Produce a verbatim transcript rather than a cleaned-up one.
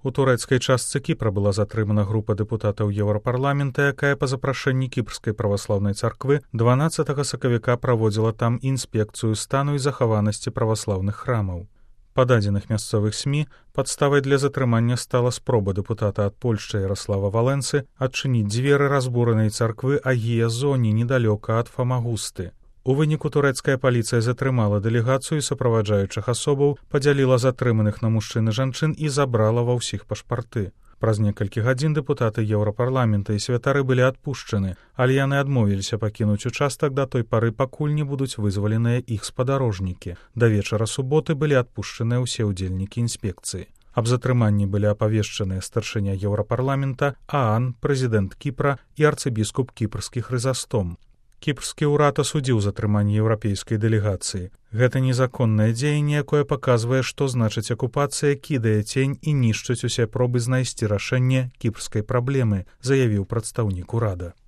У турэцкай частцы Кіпра была затрымана група дэпутатаў Еўрапарламента, якая па запрашэнні кіпрскай праваслаўнай царквы дванаццатага сакавіка праводзіла там інспекцыю стану і захаванасці праваслаўных храмаў. Па дадзеных мясцовых СМІ падставай для затрымання стала спроба дэпутата ад Польшчы Яраслава Валенцы адчыніць дзверы разбуранай царквы Агія Зоні недалёка ад Фамагусты. У выніку турэцкая паліцыя затрымала дэлегацыю суправаджаючых асобаў, падзяліла затрыманых на мужчын і жанчын і забрала ва ўсіх пашпарты. Праз некалькі гадзін дэпутаты Еўрапарламента і святары былі адпушчаны, але яны адмовіліся пакінуць участак да той пары, пакуль не будуць вызваленыя іх спадарожнікі. Да вечара суботы былі адпушчаныя ўсе ўдзельнікі інспекцыі. Аб затрыманні былі апавешчаныя старшыня Еўрапарламента, Аан, прэзідэнт Кіпра і арцыбіскуп кіпрскі Хрызастом. Кіпрскі ўрад асудзіў затрыманне еўрапейскай дэлегацыі. Гэта незаконнае дзеянне, якое паказвае, што значыць акупацыя кідае цень і нішчыць усе пробы знайсці рашэнне кіпрскай праблемы, заявіў прадстаўнік урада.